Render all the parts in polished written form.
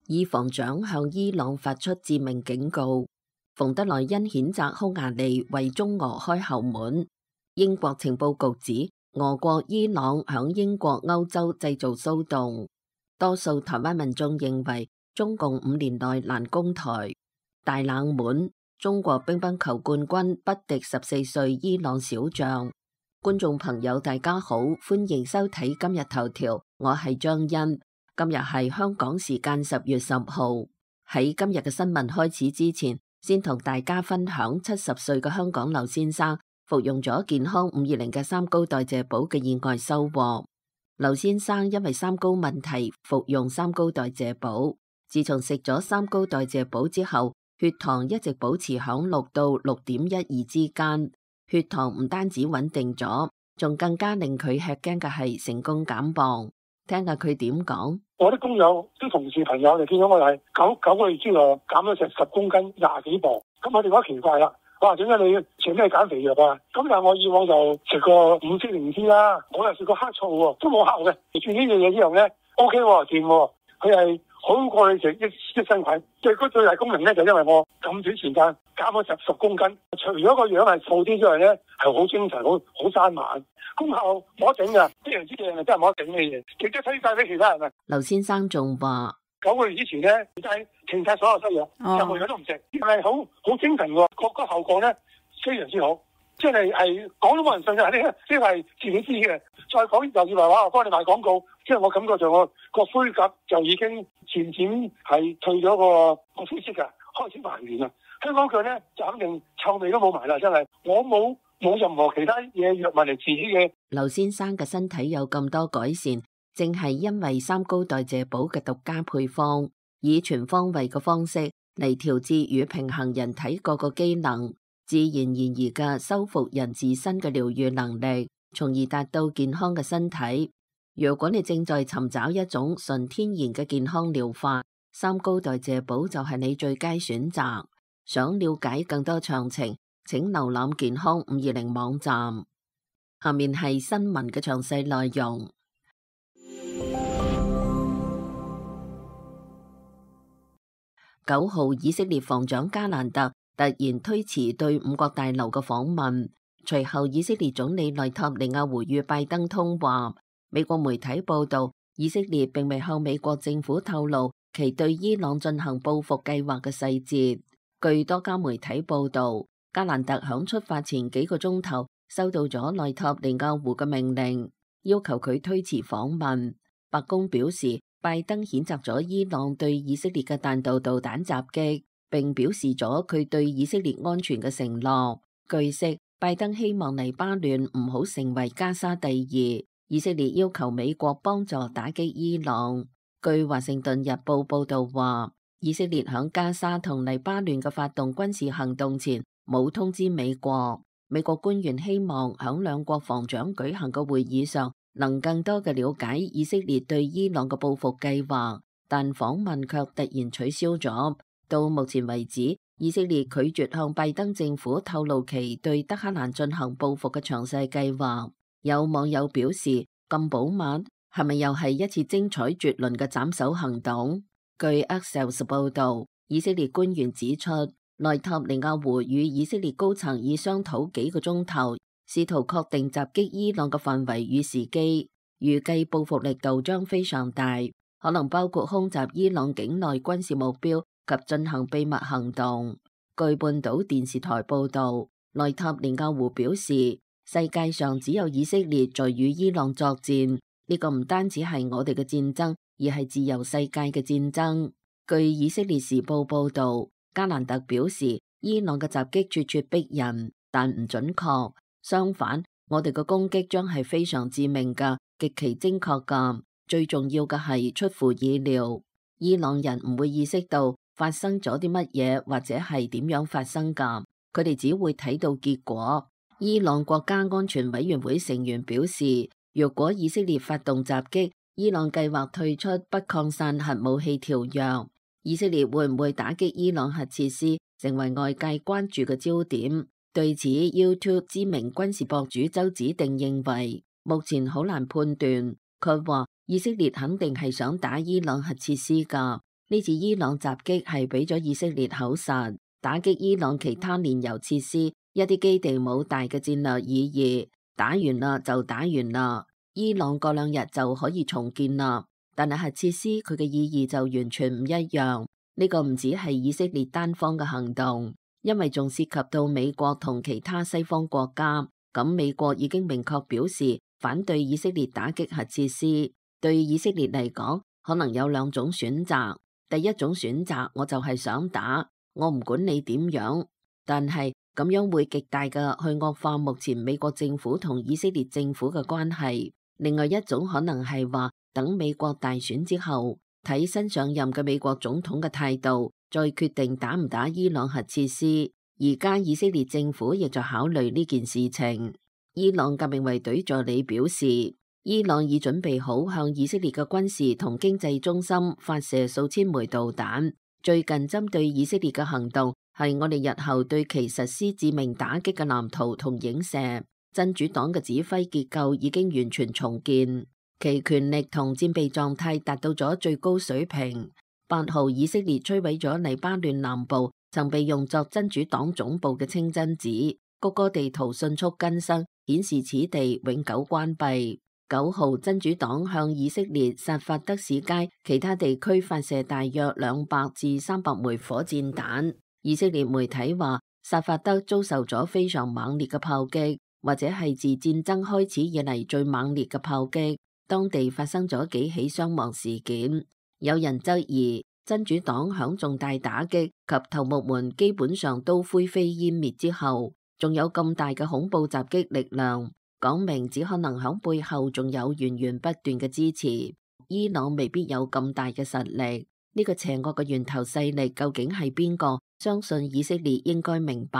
以防長向伊朗發出致命警告。馮德萊恩譴責匈牙利為中俄開後門。英國情報局指俄國伊朗響英國歐洲製造騷動。多數台灣民眾認為中共5年內難攻台。大冷門，中國乒乓球冠軍不敵14歲伊朗小將。觀眾朋友大家好，歡迎收睇今日頭條，我係張欣。今日係香港時間10月10號。喺今日嘅新聞開始之前，先同大家分享70歲嘅香港劉先生服用咗健康520嘅三高代謝寶嘅意外收穫。劉先生因為三高問題服用三高代謝寶，自從食咗三高代謝寶之後，血糖一直保持響6到6.12之間。血糖唔單止穩定咗，仲更加令佢吃驚嘅係成功減磅。聽下佢點講。我啲工友、啲同事朋友嚟見到我係九個月之內減咗成10公斤，20幾磅。咁我哋覺得奇怪啦，哇！點解你食咩減肥藥啊？咁但係我以往就食過5支靈芝啦，我又食過黑醋喎，都冇效嘅。食住呢樣嘢之後咧 ，OK 喎，掂喎，佢係好過你食益生菌。最最大功能咧，就因為我咁短時間減咗10公斤，除咗個樣係瘦啲之外咧，係好精神，好生猛。功效冇得頂噶，非常之靚啊！真係冇得頂嘅嘢，值得推介俾其他人啊！劉先生仲話9個月之前咧，就係停晒所有西藥，任何嘢都唔食，係好精神喎，個效果咧非常之好，即係講都冇人信嘅，呢個係自己知嘅。再講又以為話我幫你賣廣告，即係我感覺上我個灰甲就已經漸漸係退咗個灰色㗎，開始還原啦。香港腳咧就肯定臭味都冇埋啦，真係我冇任何其他嘢藥物嚟治嘅。劉先生嘅身體有咁多改善，正係因為三高代謝寶嘅獨家配方，以全方位嘅方式嚟調節與平衡人體各個機能，自然而然嘅修復人自身嘅療愈能力，從而達到健康嘅身體。如果你正在尋找一種純天然嘅健康療法，三高代謝寶就係你最佳選擇。想了解更多詳情，請瀏覽健康520網站。下面係新聞嘅詳細內容。9號，以色列防長加蘭特突然推遲對五角大樓嘅訪問，隨後以色列總理內塔尼亞胡與拜登通話。美國媒體報道，以色列並未向美國政府透露其對伊朗進行報復計劃嘅細節。據多家媒體報道，加蘭特響出發前幾個鐘頭收到咗內塔尼亞胡嘅命令，要求佢推遲訪問。白宮表示，拜登譴責咗伊朗對以色列嘅彈道導彈襲擊，並表示咗佢對以色列安全嘅承諾。據悉，拜登希望黎巴嫩唔好成為加沙第2。以色列要求美國幫助打擊伊朗。據華盛頓日報報道話，以色列響加沙同黎巴嫩嘅發動軍事行動前冇通知美國。美國官員希望響兩國防長舉行嘅會議上能更多嘅了解以色列對伊朗嘅報復計劃，但訪問卻突然取消咗。到目前為止，以色列拒絕向拜登政府透露其對德黑蘭進行報復嘅詳細計劃。有網友表示，咁保密係咪又係一次精彩絕倫嘅斬首行動？據 Axios 報道，以色列官員指出，內塔尼亞胡與以色列高層已商討幾個鐘頭，試圖確定襲擊伊朗嘅範圍與時機，預計報復力度將非常大，可能包括空襲伊朗境內軍事目標及進行秘密行動。據半島電視台報道，內塔尼亞胡表示，世界上只有以色列在與伊朗作戰，呢個唔單止係我哋嘅戰爭，而係自由世界嘅戰爭。據以色列時報報道，加蘭特表示，伊朗嘅襲擊咄咄逼人，但唔準確。相反，我哋嘅攻擊將係非常致命㗎，極其精確㗎。最重要嘅係出乎意料，伊朗人唔會意識到發生咗啲乜嘢，或者係點樣發生㗎。佢哋只會睇到結果。伊朗國家安全委員會成員表示，若果以色列發動襲擊，伊朗計劃退出不擴散核武器條約。以色列會唔會打擊伊朗核設施，成為外界關注嘅焦點。對此 YouTube 知名軍事博主周子定認為，目前好難判斷。佢話以色列肯定係想打伊朗核設施㗎，呢次伊朗襲擊係俾咗以色列口實，打擊伊朗其他煉油設施，一啲基地冇大嘅戰略意義，打完啦就打完啦，伊朗過2日就可以重建啦。但係核設施佢嘅意義就完全唔一樣。呢個唔止係以色列單方嘅行動，因為仲涉及到美國同其他西方國家。咁美國已經明確表示反對以色列打擊核設施。對以色列嚟講，可能有2種選擇。第一種選擇，我就係想打，我唔管你點樣，但係咁樣會極大嘅去惡化目前美國政府同以色列政府嘅關係。另外一種可能係話，等美國大選之後，睇新上任嘅美國總統嘅態度，再決定打唔打伊朗核設施。而家以色列政府亦在考慮呢件事情。伊朗革命衛隊助理表示，伊朗已準備好向以色列嘅軍事同經濟中心發射數千枚導彈。最近針對以色列嘅行動係我哋日後對其實施致命打擊嘅藍圖同影射。真主黨嘅指揮結構已經完全重建，其權力同戰備狀態達到咗最高水平。8號以色列摧毀咗黎巴嫩南部曾被用作真主黨總部嘅清真寺，谷歌地圖迅速更新，顯示此地永久關閉。9號真主黨向以色列薩法德市街其他地區發射大約200至300枚火箭彈。以色列媒體話，薩法德遭受咗非常猛烈嘅炮擊，或者係自戰爭開始以嚟最猛烈嘅炮擊。當地發生咗幾起傷亡事件。有人質疑真主黨響重大打擊及頭目們基本上都灰飛煙滅之後，仲有咁大嘅恐怖襲擊力量，講明只可能響背後仲有源源不斷嘅支持。伊朗未必有咁大嘅實力。呢個邪惡嘅源頭勢力究竟係邊個？相信以色列應該明白。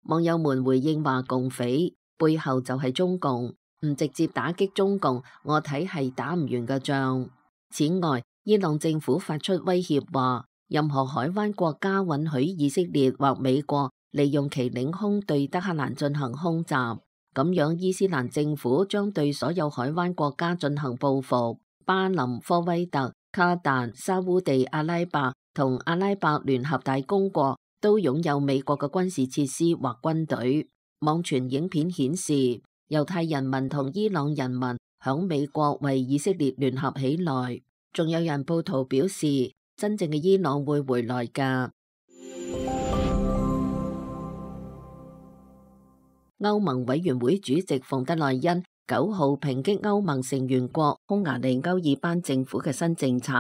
網友們回應話，共匪背後就係中共，唔直接打擊中共，我睇係打唔完嘅仗。此外，伊朗政府發出威脅話，任何海灣國家允許以色列或美國利用其領空對德黑蘭進行空襲，咁樣伊斯蘭政府將對所有海灣國家進行報復。巴林、科威特、卡達、沙烏地阿拉伯同阿拉伯聯合大公國都擁有美國嘅軍事設施或軍隊。網傳影片顯示，猶太人民同伊朗人民響美國為以色列聯合起來。仲有人報圖表示，真正嘅伊朗會回來㗎。歐盟委員會主席馮德萊恩9號抨擊歐盟成員國匈牙利歐爾班政府嘅新政策，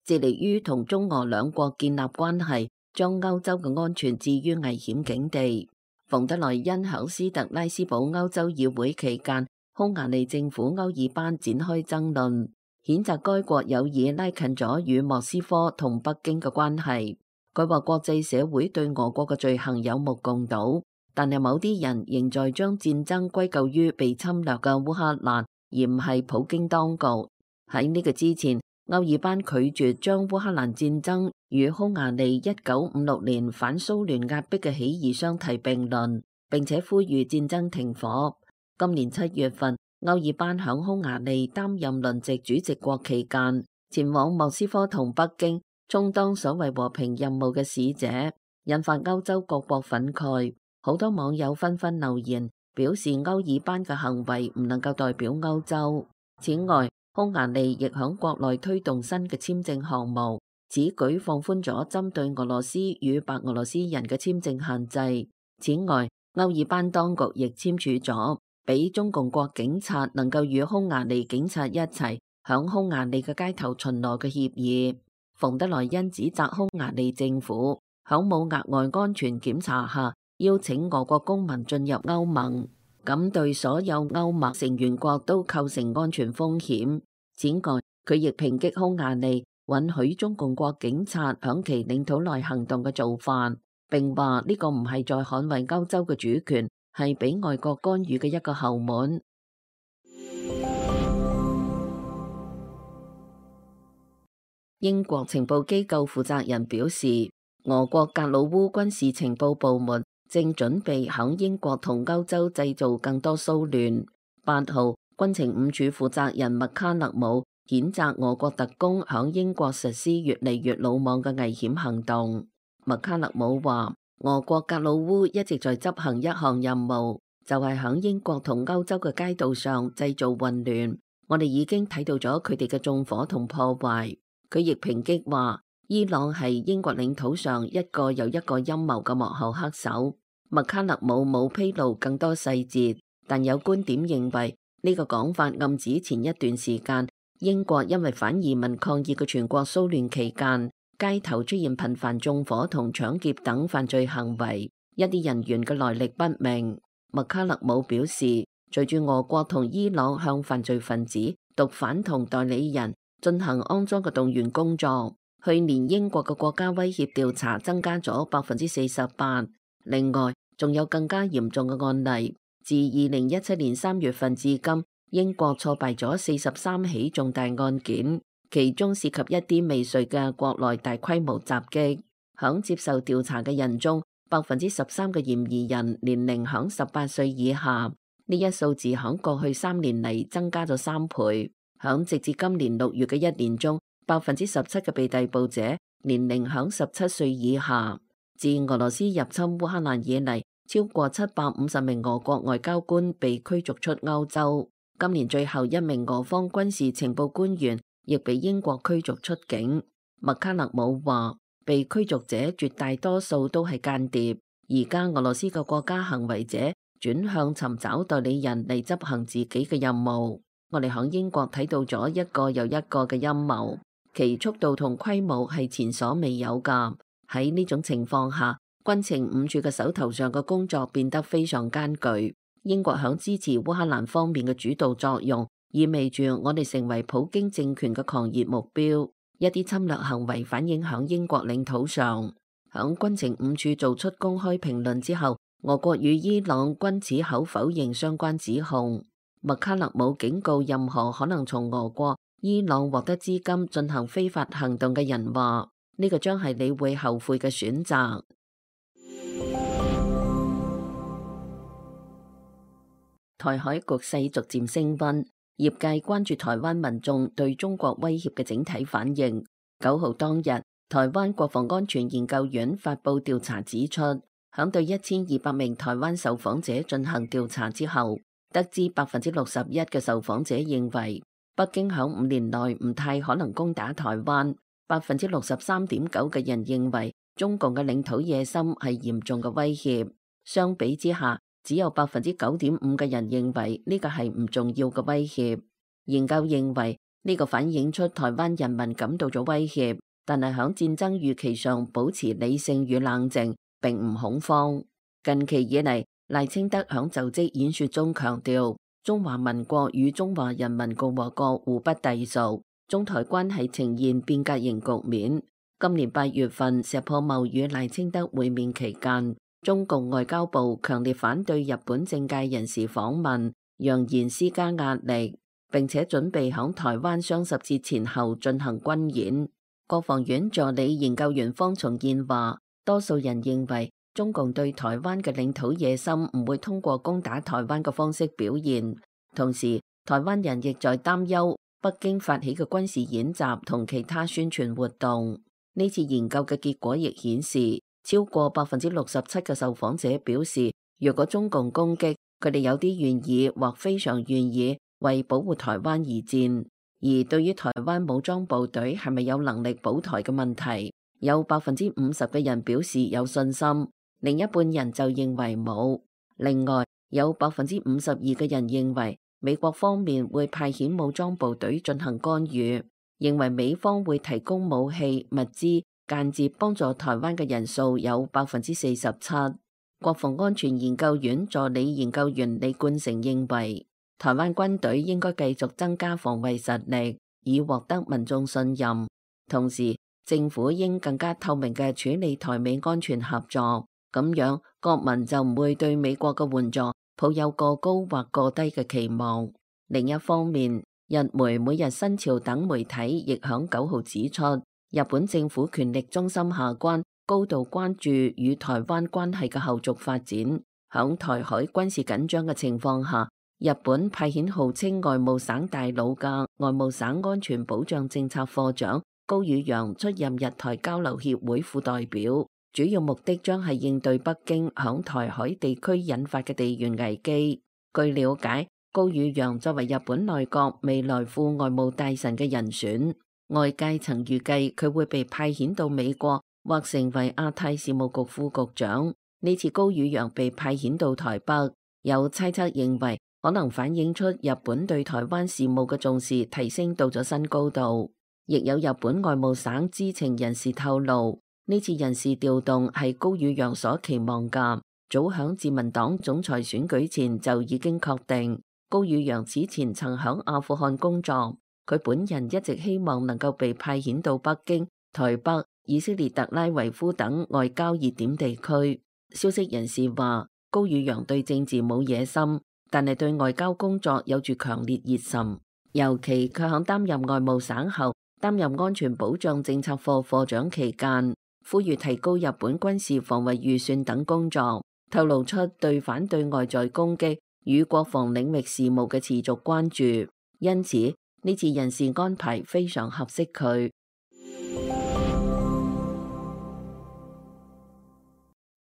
致力於同中俄兩國建立關係，將歐洲嘅安全置於危險境地。馮德萊恩喺斯特拉斯堡歐洲議會期間，匈牙利政府歐爾班展開爭論，譴責該國有意拉近咗與莫斯科同北京嘅關係。佢話國際社會對俄國嘅罪行有目共睹，但係某啲人仍在將戰爭歸咎於被侵略嘅烏克蘭，而唔係普京當局。喺呢個之前，歐爾班拒絕將烏克蘭戰爭與匈牙利1956年反蘇聯壓迫嘅起義相提並論，並且呼籲戰爭停火。今年7月份，歐爾班響匈牙利擔任輪值主席國期間，前往莫斯科同北京，充當所謂和平任務嘅使者，引發歐洲各國憤慨。好多網友紛紛留言，表示歐爾班嘅行為唔能夠代表歐洲。此外，匈牙利亦響國內推動新嘅簽證項目，此舉放寬咗針對俄羅斯與白俄羅斯人嘅簽證限制。此外，歐爾班當局亦簽署咗俾中共國警察能夠與匈牙利警察一齊響匈牙利嘅街頭巡邏嘅協議。馮德萊恩指責匈牙利政府響冇額外安全檢查下邀請俄國公民進入歐盟，咁對所有歐盟成員國都構成安全風險。此外，佢亦抨擊匈牙利允許中共國警察響其領土內行動嘅做法，並話呢個唔係在捍衛歐洲嘅主權，係俾外國干預嘅一個後門。英國情報機構負責人表示，俄國格魯烏軍事情報部門正準備響英國同歐洲製造更多騷亂。8號，軍情5處負責人麥卡勒姆譴責俄國特工響英國實施越嚟越魯莽嘅危險行動。麥卡勒姆話，俄國格魯烏一直在執行一項任務，就係響英國同歐洲嘅街道上製造混亂。我哋已經睇到咗佢哋嘅縱火同破壞。佢亦抨擊話，伊朗係英國領土上一個又一個陰謀嘅幕後黑手。麥卡勒姆冇披露更多細節，但有觀點認為呢個講法暗指前一段時間英國因為反移民抗議嘅全國騷亂期間，街頭出現頻繁縱火同搶劫等犯罪行為，一啲人員嘅來歷不明。麥卡勒姆表示，隨住俄國同伊朗向犯罪分子、毒販同代理人進行骯髒嘅動員工作，去年英國嘅國家威脅調查增加咗48%。另外，仲有更加嚴重嘅案例，自2017年3月份至今，英國挫敗咗43起重大案件，其中涉及一啲未遂嘅國內大規模襲擊。響接受調查嘅人中，13%嘅嫌疑人年齡響18歲以下，呢一數字響過去3年嚟增加咗3倍。響直至今年6月嘅一年中，17%嘅被逮捕者年齡響17歲以下。自俄羅斯入侵烏克蘭以嚟，超過750名俄國外交官被驅逐出歐洲。今年最後一名俄方軍事情報官員亦被英國驅逐出境。麥卡勒姆話，被驅逐者絕大多數都係間諜。而家俄羅斯嘅國家行為者轉向尋找代理人嚟執行自己嘅任務。我哋響英國睇到咗一個又一個嘅陰謀，其速度同規模係前所未有㗎。喺呢種情況下，軍情五處嘅手頭上嘅工作變得非常艱巨。英國響支持烏克蘭方面嘅主導作用，意味住我哋成為普京政權嘅狂熱目標。一啲侵略行為反映響英國領土上。響軍情五處做出公開評論之後，俄國與伊朗均矢口否認相關指控。麥卡勒姆警告任何可能從俄國、伊朗獲得資金進行非法行動嘅人話，呢個將係你會後悔嘅選擇。台海局勢逐漸升溫，業界關注台灣民眾對中國威脅嘅整體反應。9號當日，台灣國防安全研究院發布調查指出，響對1200名台灣受訪者進行調查之後，得知61%嘅受訪者認為北京響5年內唔太可能攻打台灣。63.9% 嘅人認為中共嘅領土野心係嚴重嘅威脅，相比之下，只有9.5%嘅人認為呢個係唔重要嘅威脅。研究認為呢個反映出台灣人民感到咗威脅，但係響戰爭預期上保持理性與冷靜，並唔恐慌。近期以嚟，賴清德響就職演說中強調，中華民國與中華人民共和國互不隸屬。中台關係呈現變革型局面。今年8月份，石破茂與賴清德會面期間，中共外交部強烈反對日本政界人士訪問，揚言施加壓力，並且準備響台灣雙十節前後進行軍演。國防院助理研究員方重建話，多數人認為中共對台灣嘅領土野心唔會通過攻打台灣嘅方式表現，同時台灣人亦在擔憂北京發起嘅軍事演習同其他宣傳活動。呢次研究嘅結果亦顯示，超過67%嘅受訪者表示，若果中共攻擊，佢哋有啲願意或非常願意為保護台灣而戰。而對於台灣武裝部隊係咪有能力保台嘅問題，有50%嘅人表示有信心，另一半人就認為冇。另外，有52%嘅人認為美國方面會派遣武裝部隊進行干預，認為美方會提供武器、物資，間接幫助台灣嘅人數有47%。國防安全研究院助理研究員李冠成認為，台灣軍隊應該繼續增加防衛實力，以獲得民眾信任。同時，政府應更加透明嘅處理台美安全合作，咁樣國民就唔會對美國嘅援助抱有過高或過低嘅期望。另一方面，日媒每日新潮等媒體亦響9號指出，日本政府權力中心下關高度關注與台灣關係嘅後續發展。響台海軍事緊張嘅情況下，日本派遣號稱外務省大佬嘅外務省安全保障政策課長高宇陽出任日台交流協會副代表，主要目的將係應對北京響台海地區引發嘅地緣危機。據了解，高宇陽作為日本內閣未來副外務大臣嘅人選，外界曾預計佢會被派遣到美國或成為亞太事務局副局長。呢次高宇陽被派遣到台北，有猜測認為可能反映出日本對台灣事務嘅重視提升到咗新高度。亦有日本外務省知情人士透露，呢次人事調動係高宇陽所期望嘅，早響自民黨總裁選舉前就已經確定。高宇陽此前曾響阿富汗工作，佢本人一直希望能夠被派遣到北京、台北、以色列特拉維夫等外交熱點地區。消息人士話，高宇陽對政治冇野心，但係對外交工作有住強烈熱忱，尤其佢響擔任外務省後，擔任安全保障政策課課長期間，呼籲提高日本軍事防衛預算等工作，透露出對反對外在攻擊與國防領域事務嘅持續關注，因此呢次人事安排非常合適佢。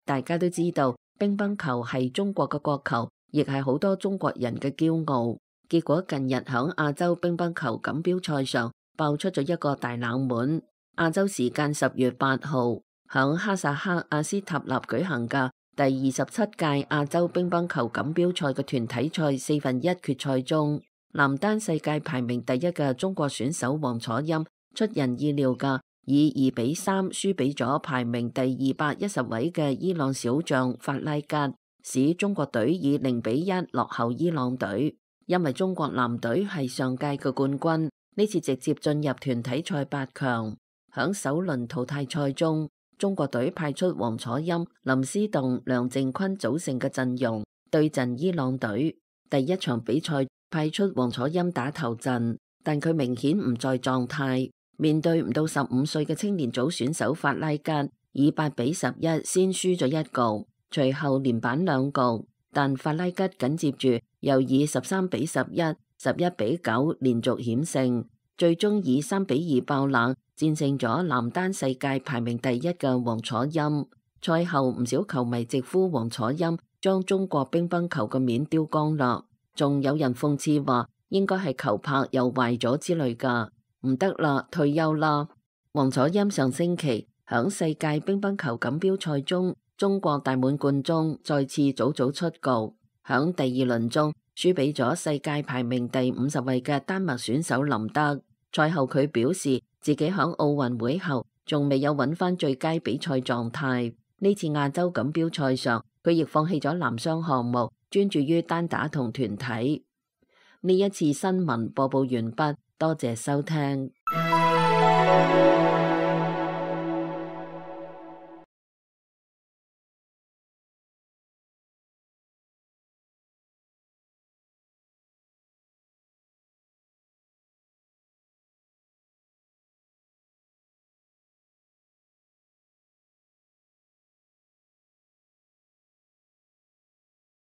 大家都知道，乒乓球係中國嘅國球，亦係好多中國人嘅驕傲。結果近日響亞洲乒乓球錦標賽上爆出咗一個大冷門。亞洲時間10月8號，響哈薩克阿斯塔納舉行嘅第27屆亞洲乒乓球錦標賽嘅團體賽1/4決賽中，男單世界排名第一嘅中國選手王楚欽出人意料嘅以2-3輸俾咗排名第210位嘅伊朗小將法拉吉，使中國隊以0-1落後伊朗隊。因為中國男隊係上屆嘅冠軍，呢次直接進入團體賽8強。響首輪淘汰賽中，中國隊派出王楚欽、林思棟、梁靖昆組成嘅陣容對陣伊朗隊。第一場比賽派出王楚欽打頭陣，但佢明顯唔在狀態。面對唔到15歲嘅青年組選手法拉吉，以8-11先輸咗一局，隨後連扳2局，但法拉吉緊接住又以13-11、11-9連續險勝，最終以3-2爆冷戰勝咗男單世界排名第一嘅王楚欽。賽後唔少球迷直呼王楚欽將中國乒乓球嘅面丟光啦，仲有人諷刺話應該係球拍又壞咗之類噶。唔得啦，退休啦！王楚欽上星期響世界乒乓球錦標賽中，中國大滿貫中再次早早出局，響第2輪中輸俾咗世界排名第50位嘅丹麥選手林德。賽後佢表示自己響奧運會後仲未有揾翻最佳比賽狀態。呢次亞洲錦標賽上，佢亦放棄咗男雙項目，專注於單打同團體。呢一次新聞播報完畢。多謝收聽。